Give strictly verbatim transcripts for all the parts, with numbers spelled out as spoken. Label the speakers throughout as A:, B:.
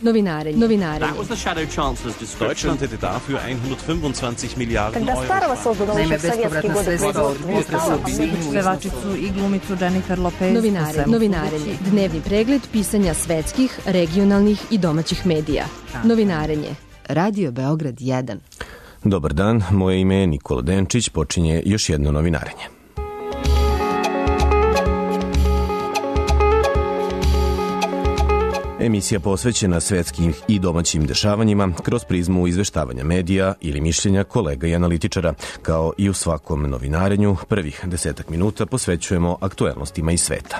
A: Novinarenje. Novinarenje.
B: Deutschland hätte dafür hundertfünfundzwanzig Miliarden Euro.
C: Naime, bespovratna sredstva od potresa u Bilinju.
D: Pevačicu i glumicu Jennifer Lopez.
A: Novinarenje. Novinarenje. Dnevni pregled pisanja svetskih, regionalnih i domaćih medija. Novinarenje. Radio Beograd jedan.
E: Dobar dan, moje ime je Nikola Denčić, počinje još jedno novinarenje. Emisija posvećena svetskim i domaćim dešavanjima kroz prizmu izveštavanja medija ili mišljenja kolega i analitičara. Kao i u svakom novinarenju, prvih desetak minuta posvećujemo aktuelnostima iz sveta.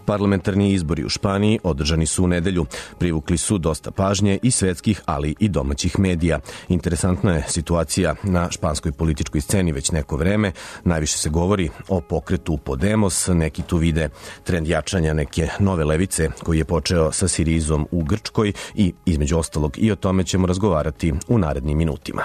E: Parlamentarni izbori u Španiji održani su u nedelju. Privukli su dosta pažnje i svetskih, ali i domaćih medija. Interesantna je situacija na španskoj političkoj sceni već neko vreme. Najviše se govori o pokretu Podemos. Neki tu vide trend jačanja neke nove levice koji je počeo sa Sirizom u Grčkoj i između ostalog i o tome ćemo razgovarati u narednim minutima.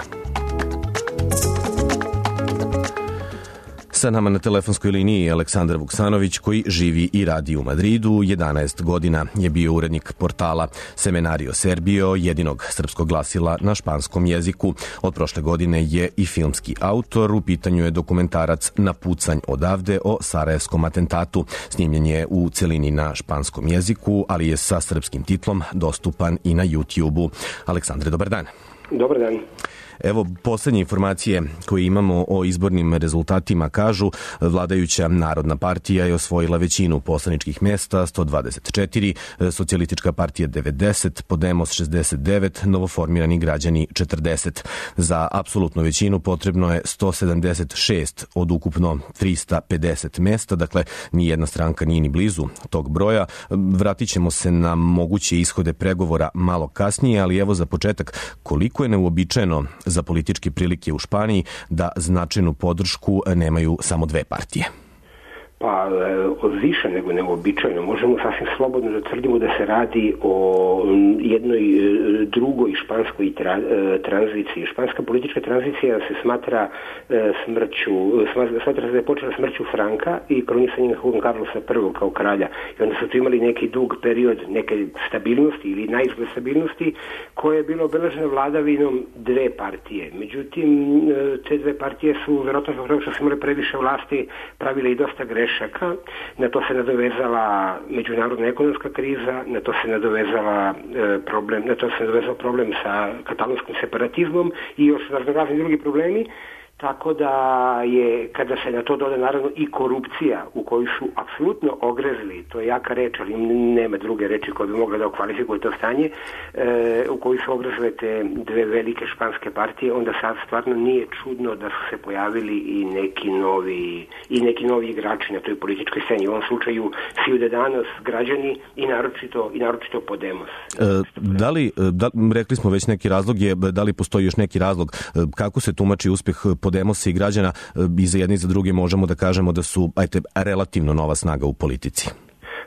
E: Sa nama na telefonskoj liniji je Aleksandar Vuksanović koji živi i radi u Madridu. jedanaest godina je bio urednik portala Semenario Serbio, jedinog srpskog glasila na španskom jeziku. Od prošle godine je i filmski autor. U pitanju je dokumentarac Na pucanj odavde o sarajevskom atentatu. Snimljen je u celini na španskom jeziku, ali je sa srpskim titlom dostupan i na YouTube-u. Aleksandre, dobar dan.
F: Dobar dan.
E: Evo, poslednje informacije koje imamo o izbornim rezultatima kažu vladajuća Narodna partija je osvojila većinu poslaničkih mesta, sto dvadeset četiri, Socijalistička partija devedeset, Podemos šezdeset devet, novoformirani građani četrdeset. Za apsolutnu većinu potrebno je sto sedamdeset šest od ukupno trista pedeset mesta, dakle nijedna stranka nije ni blizu tog broja. Vratit ćemo se na moguće ishode pregovora malo kasnije, ali evo za početak, koliko je neuobičajeno za političke prilike u Španiji da značajnu podršku nemaju samo dve partije?
F: Pa, više nego neuobičajeno. Možemo sasvim slobodno da tvrdimo da se radi o jednoj drugoj španskoj tra, tranziciji. Španska politička tranzicija se smatra smrću, smatra se da je počela smrću Franka i kronisanjem Juan Carlosa prvog kao kralja. I onda su tu imali neki dug period neke stabilnosti ili naizgled stabilnosti koje je bilo obeleženo vladavinom dve partije. Međutim, te dve partije su, verovatno zbog toga što su imali previše vlasti, pravile i dosta grešaka. Na to se nadovezala međunarodna ekonomska kriza, na to se nadovezala e, problem, na to se nadovezao problem sa katalonskim separatizmom i još razni drugi problemi. Tako da je, kada se na to doda naravno i korupcija u koju su apsolutno ogrezli, to je jaka reč, ali nema druge reči koje bi mogle da okvalifikuju to stanje, e, u koju su ogrezle te dve velike španske partije, onda sad stvarno nije čudno da su se pojavili i neki novi, i neki novi igrači na toj političkoj sceni. U ovom slučaju Ciudadanos, građani i naročito, i naročito Podemos.
E: E, da li, da, rekli smo već neki razlog, je, da li postoji još neki razlog, kako se tumači uspeh Podemosa i građana? I za jedni i za druge možemo da kažemo da su, ajte, relativno nova snaga u politici.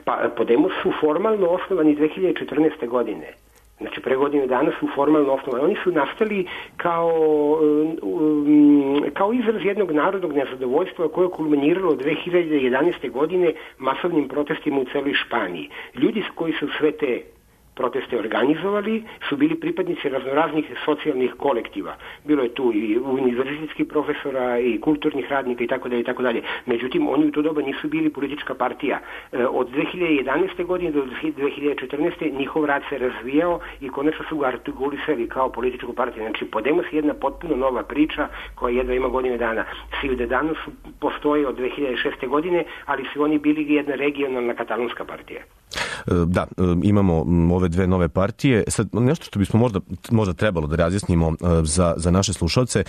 F: Pa, Podemos su formalno osnovani dve hiljade četrnaeste. godine. Znači, pre godine dana su formalno osnovani. Oni su nastali kao, kao izraz jednog narodnog nezadovoljstva koje je kulminiralo dve hiljade jedanaeste. godine masovnim protestima u celoj Španiji. Ljudi koji su sve te proteste organizovali su bili pripadnici raznoraznih socijalnih kolektiva. Bilo je tu i univerzitetskih profesora i kulturnih radnika i tako dalje i tako dalje. Međutim, oni u to doba nisu bili politička partija. Od dve hiljade jedanaeste. godine do dve hiljade četrnaeste. njihov rad se razvijao i konačno su ga artikulisali kao političku partiju. Znači, Podemos je jedna potpuno nova priča koja jedva ima godine dana. Ciudadanos postoje od dve hiljade šeste. godine, ali su oni bili jedna regionalna katalonska partija.
E: Da, imamo ove dve nove partije. Sad, nešto što bismo možda, možda trebalo da razjasnimo za, za naše slušalce,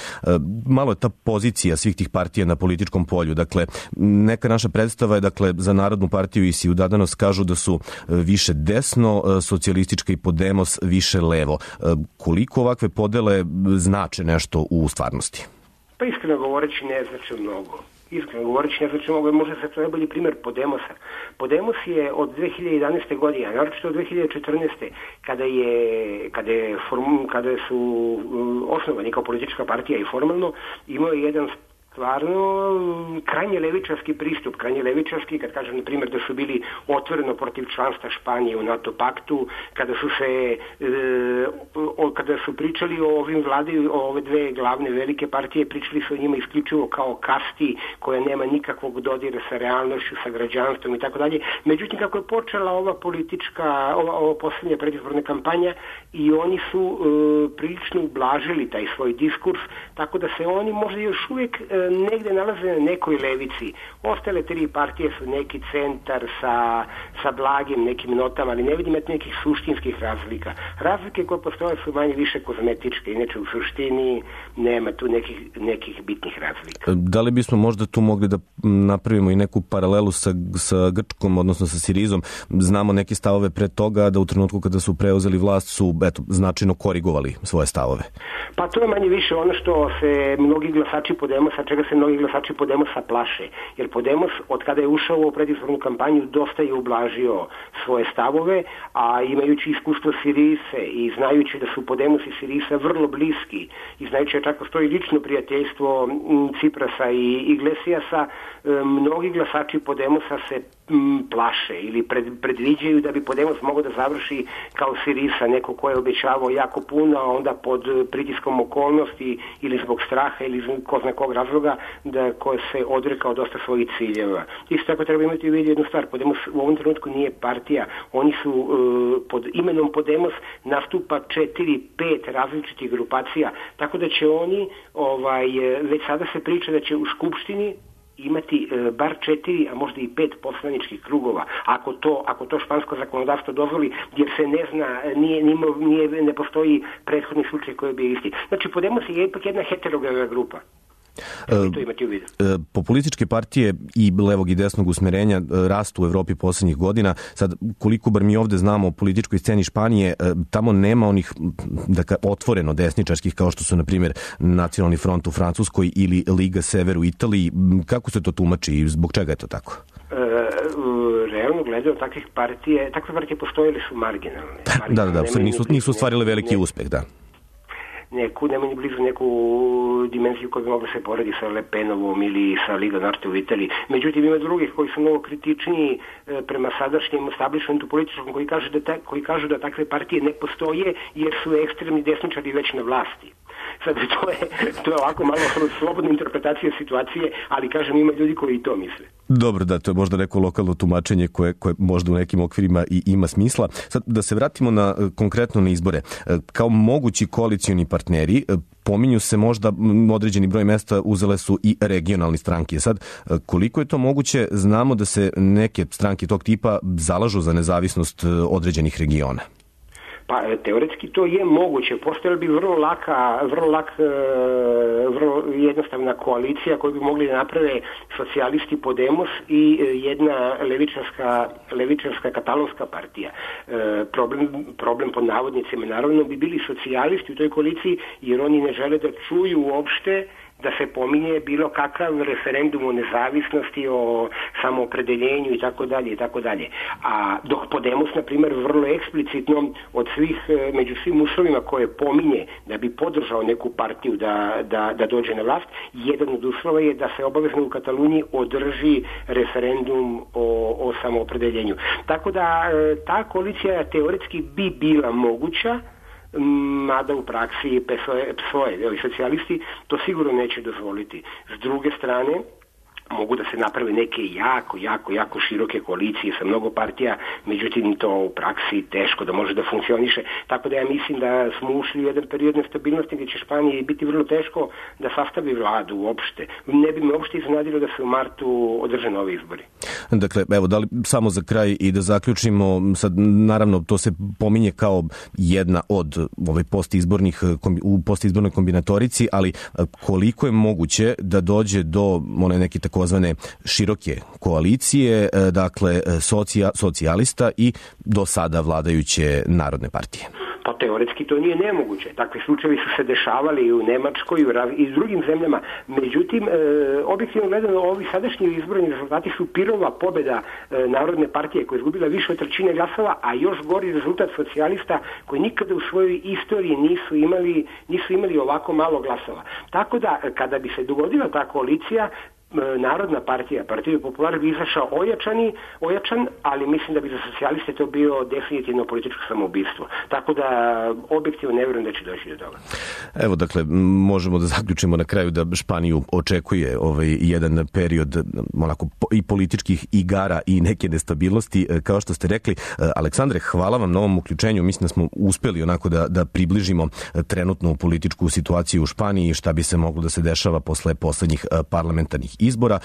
E: malo je ta pozicija svih tih partija na političkom polju. Dakle, neka naša predstava je, dakle, za Narodnu partiju i Ciudadanos kažu da su više desno, Socijalistička i Podemos više levo. Koliko ovakve podele znače nešto u stvarnosti?
F: Pa iskreno govoreći ne znači mnogo. Iskreno govoreći, ne znači mogu, možda se to najbolji primjer Podemosa. Podemos je od dve hiljade jedanaeste. godine, a naročito od dve hiljade četrnaeste. kada je, kada je form, kada su osnovani kao politička partija i formalno, imao je jedan stvarno krajnje levičarski pristup, krajnje levičarski, kad kažem na primjer da su bili otvoreno protiv članstva Španije u NATO paktu, kada su se e, o, kada su pričali o ovim vladi, o ove dve glavne velike partije, pričali su o njima isključivo kao kasti koja nema nikakvog dodira sa realnošću, sa građanstvom i tako dalje. Međutim, kako je počela ova politička, ova, ova posljednja predizborna kampanja i oni su e, prilično ublažili taj svoj diskurs, tako da se oni možda još uvijek e, negde nalaze na nekoj levici. Ostale tri partije su neki centar sa, sa blagim nekim notama, ali ne vidim nekih suštinskih razlika. Razlike koje postoje su manje više kozmetičke, inače u suštini nema tu nekih, nekih bitnih razlika.
E: Da li bismo možda tu mogli da napravimo i neku paralelu sa, sa Grčkom, odnosno sa Sirizom? Znamo neke stavove pre toga da u trenutku kada su preuzeli vlast su eto, značajno korigovali svoje stavove.
F: Pa to je manje više ono što se mnogi glasači Podemosa, čega se mnogi glasači Podemosa plaše. Jer Podemos od kada je ušao u predizbornu kampanju dosta je ublažio svoje stavove, a imajući iskustvo Sirise i znajući da su Podemos i Sirisa vrlo bliski i znajući da čak postoji lično prijateljstvo Ciprasa i Iglesiasa, mnogi glasači Podemosa se plaše ili pred, predviđaju da bi Podemos mogao da završi kao Sirisa, neko ko je obećavao jako puno, a onda pod pritiskom okolnosti ili zbog straha ili zbog ko zna kog razloga da ko se odrekao dosta svojih ciljeva. Isto tako treba imati u vidu jednu stvar, Podemos u ovom trenutku nije partija, oni su uh, pod imenom Podemos nastupa četiri, pet različitih grupacija, tako da će oni ovaj, već sada se priča da će u Skupštini imati e, bar četiri, a možda i pet poslaničkih krugova, ako to, ako to špansko zakonodavstvo dozvoli, jer se ne zna, nije, nije, ne postoji prethodni slučaj koji bi isti. Znači, Podemos je ipak jedna heterogena grupa. To imati u vidu.
E: Populističke partije i levog i desnog usmerenja rastu u Evropi poslednjih godina. Sad, koliko bar mi ovde znamo o političkoj sceni Španije, tamo nema onih dakle, otvoreno desničarskih kao što su, na primjer, Nacionalni front u Francuskoj ili Liga Sever u Italiji. Kako se to tumači i zbog čega je to tako?
F: E, realno gledano, takvih partije, takve partije postojile su marginalne.
E: Da, da, da, nisu, nisu stvarili veliki uspeh, da.
F: Neku, nema ni blizu neku dimenziju koja bi mogla se poredi sa Le Penovom ili sa Liga Norte u Italiji. Međutim, ima drugih koji su mnogo kritičniji e, prema sadašnjem establishmentu političkom koji kažu, da ta, koji kažu da takve partije ne postoje jer su ekstremni desničari već na vlasti. Sad, to je, to je ovako malo slobodna interpretacija situacije, ali kažem, ima ljudi koji i to misle.
E: Dobro, da, to je možda neko lokalno tumačenje koje, koje možda u nekim okvirima i ima smisla. Sad, da se vratimo na, konkretno na izbore. Kao mogući koalicioni partneri, pominju se možda određeni broj mesta uzele su i regionalne stranke. Sad, koliko je to moguće, znamo da se neke stranke tog tipa zalažu za nezavisnost određenih regiona.
F: Pa teoretski to je moguće. Postojala bi vrlo laka, vrlo lak, vrlo jednostavna koalicija koju bi mogli da naprave socijalisti Podemos i jedna levičarska, levičarska katalonska partija. Problem, problem pod navodnicima naravno bi bili socijalisti u toj koaliciji jer oni ne žele da čuju uopšte da se pominje bilo kakav referendum o nezavisnosti, o samoopredeljenju i tako dalje i tako dalje. A dok Podemos, na primjer, vrlo eksplicitno od svih, među svim uslovima koje pominje da bi podržao neku partiju da, da, da dođe na vlast, jedan od uslova je da se obavezno u Kataluniji održi referendum o, o samoopredeljenju. Tako da ta koalicija teoretski bi bila moguća, mada u praksi P S O E, socijalisti, to sigurno neće dozvoliti. S druge strane, mogu da se naprave neke jako, jako, jako široke koalicije sa mnogo partija, međutim to u praksi teško da može da funkcioniše. Tako da ja mislim da smo ušli u jedan period nestabilnosti gdje će Španiji biti vrlo teško da sastavi vladu uopšte. Ne bi me uopšte iznenadilo da se u martu održe novi izbori.
E: Dakle, evo, da li samo za kraj i da zaključimo, sad naravno to se pominje kao jedna od ovaj postizbornih, u postizbornoj kombinatorici, ali koliko je moguće da dođe do one neke tako takozvane široke koalicije, dakle socija, socijalista i do sada vladajuće Narodne partije?
F: To teoretski to nije nemoguće. Takvi slučajevi su se dešavali i u Nemačkoj i u drugim zemljama. Međutim, e, objektivno gledano, ovi sadašnji izborni rezultati su pirova pobjeda e, Narodne partije koja je izgubila više od trećine glasova, a još gori rezultat socijalista koji nikada u svojoj istoriji nisu imali, nisu imali ovako malo glasova. Tako da, kada bi se dogodila ta koalicija, Narodna partija, Partija Popular bi izašao ojačani, ojačan, ali mislim da bi za socijaliste to bio definitivno političko samoubistvo. Tako da objektivno ne vjerujem da će doći do toga.
E: Evo, dakle, možemo da zaključimo na kraju da Španiju očekuje ovaj jedan period onako i političkih igara i neke nestabilnosti, kao što ste rekli. Aleksandre, hvala vam na ovom uključenju. Mislim da smo uspeli onako da, da približimo trenutnu političku situaciju u Španiji, šta bi se moglo da se dešava posle poslednjih parlamentarnih izbora.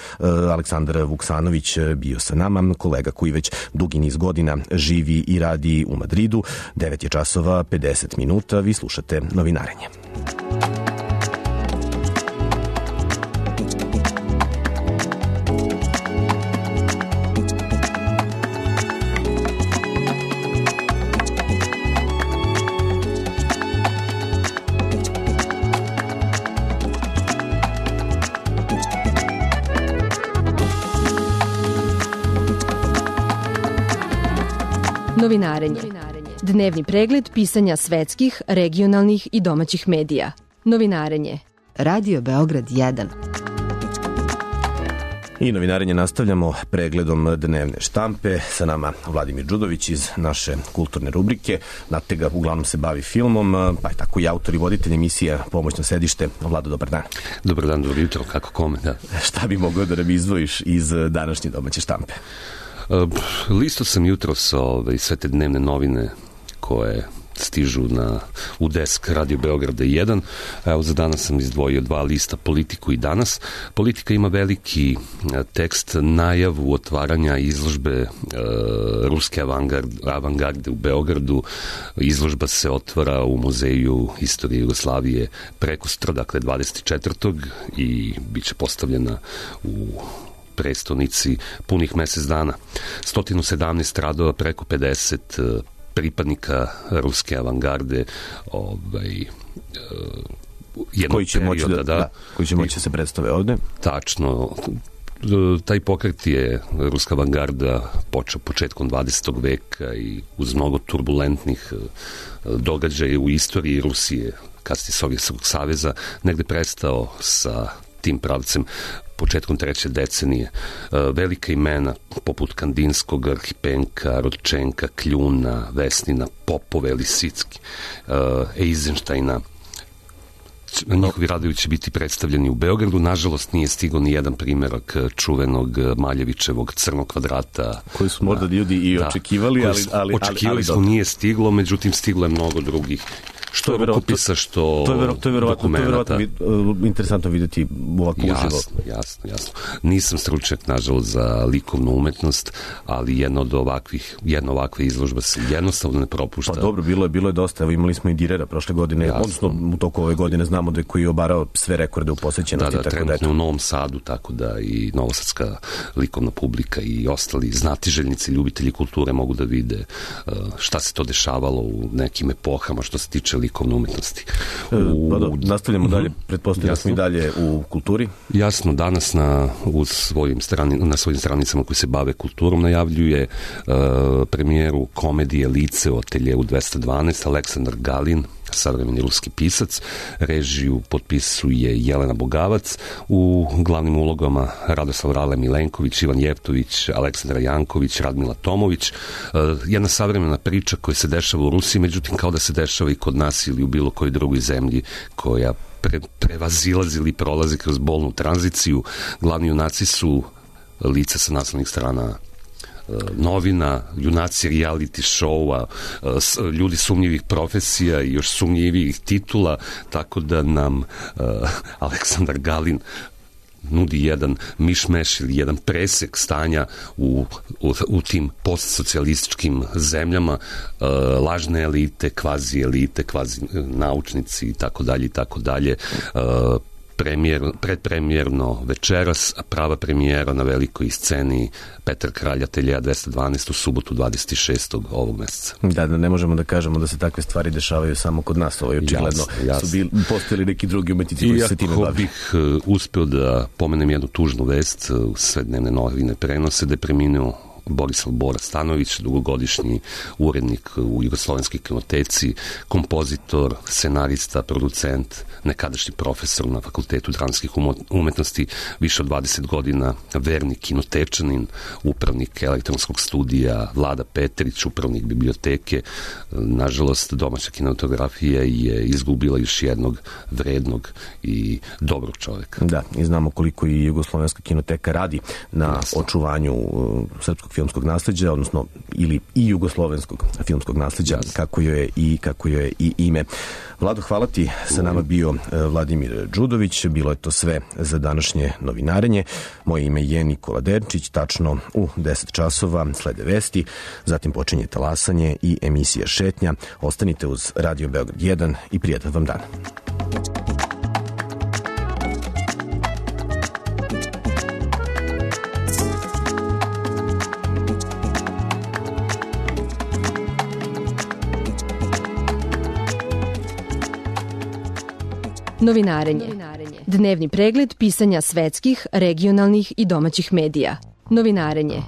E: Aleksandar Vuksanović bio sa nama, kolega koji već dugi niz godina živi i radi u Madridu. devet je časova pedeset minuta, vi slušate Novinarenje.
A: Novinarenje. Dnevni pregled pisanja svetskih, regionalnih i domaćih medija. Novinarenje. Radio Beograd jedan.
E: I novinarenje nastavljamo pregledom dnevne štampe. Sa nama Vladimir Đudović iz naše kulturne rubrike. Natega uglavnom se bavi filmom, pa je tako i autor i voditelj emisije Pomoćno sedište. Vlado, dobar dan.
G: Dobar dan, dobro jutro, kako kome, da.
E: Šta bi mogao da nam izdvojiš iz današnje domaće štampe?
G: Listo sam jutros ove, sve te dnevne novine koje stižu na, u desk Radio Beograda jedan. Evo, za danas sam izdvojio dva lista, Politiku i Danas. Politika ima veliki tekst, najavu otvaranja izložbe e, ruske avangarde, avangarde u Beogradu. Izložba se otvara u Muzeju istorije Jugoslavije prekostra, dakle dvadeset četvrtog i bit će postavljena u prestonici punih mesec dana. sto sedamnaest radova, preko pedeset pripadnika ruske avangarde, ovaj, jednog
E: koji će
G: perioda,
E: moći da, da, da, koji će moći da se predstave ovde.
G: Tačno. Taj pokret je ruska avangarda počeo početkom dvadesetog veka i uz mnogo turbulentnih događaja u istoriji Rusije, kasnije Sovjetskog saveza, negde prestao sa tim pravcem početkom treće decenije. Velika imena poput Kandinskog, Arhipenka, Rodčenka, Kljuna, Vesnina, Popove, Lisicki, Eizenštajna, njihovi radovi će biti predstavljeni u Beogradu. Nažalost, nije stigao ni jedan primjerak čuvenog Maljevićevog Crnog kvadrata.
E: Koji su možda ljudi i
G: da,
E: očekivali, ali, ali,
G: očekivali
E: ali,
G: smo, nije stiglo, međutim stiglo je mnogo drugih. Što je rukopisa, što
E: to je vero, to je verovatno, to je verovatno vid, uh, interesantno vidjeti ovako uživo.
G: Jasno, jasno, jasno. Nisam stručnjak, nažalost, za likovnu umetnost, ali jedna od ovakvih, jedna ovakva izložba se jednostavno ne propušta.
E: Pa dobro, bilo je, bilo je dosta. Evo, imali smo i Direra prošle godine, jasno. Odnosno u toku ove godine znamo da je koji je obarao sve rekorde u posvećenosti.
G: Da, da, trenutno u Novom Sadu, tako da i novosadska likovna publika i ostali znatiželjnici, ljubitelji kulture mogu da vide uh, šta se to dešavalo u nekim epohama što se tiče likovne umetnosti.
E: U... Pa da, nastavljamo dalje, pretpostavljamo smo i dalje u kulturi.
G: Jasno, danas na, u svojim strani, na svojim stranicama koji se bave kulturom najavljuje uh, premijeru komedije Lice u ateljevu dvesta dvanaest, Aleksandar Galin, savremeni ruski pisac. Režiju potpisuje Jelena Bogavac, u glavnim ulogama Radoslav Rale Milenković, Ivan Jevtović, Aleksandra Janković, Radmila Tomović. Jedna savremena priča koja se dešava u Rusiji, međutim kao da se dešava i kod nas ili u bilo kojoj drugoj zemlji koja pre, prevazilazi ili prolazi kroz bolnu tranziciju. Glavni junaci su lica sa naslovnih strana novina, junaci reality showa, ljudi sumnjivih profesija i još sumnjivih titula, tako da nam uh, Aleksandar Galin nudi jedan mišmeš ili jedan presek stanja u, u, u tim postsocijalističkim zemljama, uh, lažne elite, kvazi elite, kvazi naučnici i tako dalje i tako dalje. premijer, predpremijerno večeras, a prava premijera na velikoj sceni Petar Kralj Ateljea dvesta dvanaest u subotu dvadeset šestog ovog meseca.
E: Da, da ne možemo da kažemo da se takve stvari dešavaju samo kod nas, ovo je očigledno. Jasne, jasne. Su bili, postojali neki drugi umetnici koji se time bavi.
G: Iako bih uh, uspeo da pomenem jednu tužnu vest, uh, sve dnevne novine prenose da je preminuo Borislav Bora Stanović, dugogodišnji urednik u Jugoslovenskoj kinoteci, kompozitor, scenarista, producent, nekadašnji profesor na Fakultetu dramskih umetnosti, više od dvadeset godina verni kinotečanin, upravnik elektronskog studija Vlada Petrić, upravnik biblioteke. Nažalost, domaća kinematografija je izgubila još jednog vrednog i dobrog čoveka.
E: Da, i znamo koliko i Jugoslovenska kinoteka radi na Jasno. očuvanju uh, srpskog filmskog nasleđa, odnosno ili i jugoslovenskog filmskog nasleđa, yes. kako joj je i kako joj je i ime. Vlado, hvala ti. Sa nama bio Vladimir Đudović. Bilo je to sve za današnje novinarenje. Moje ime je Nikola Derčić. Tačno u deset časova slede vesti, zatim počinje talasanje i emisija Šetnja. Ostanite uz Radio Beograd jedan i prijatan vam dan.
A: Novinarenje. Dnevni pregled pisanja svetskih, regionalnih i domaćih medija. Novinarenje.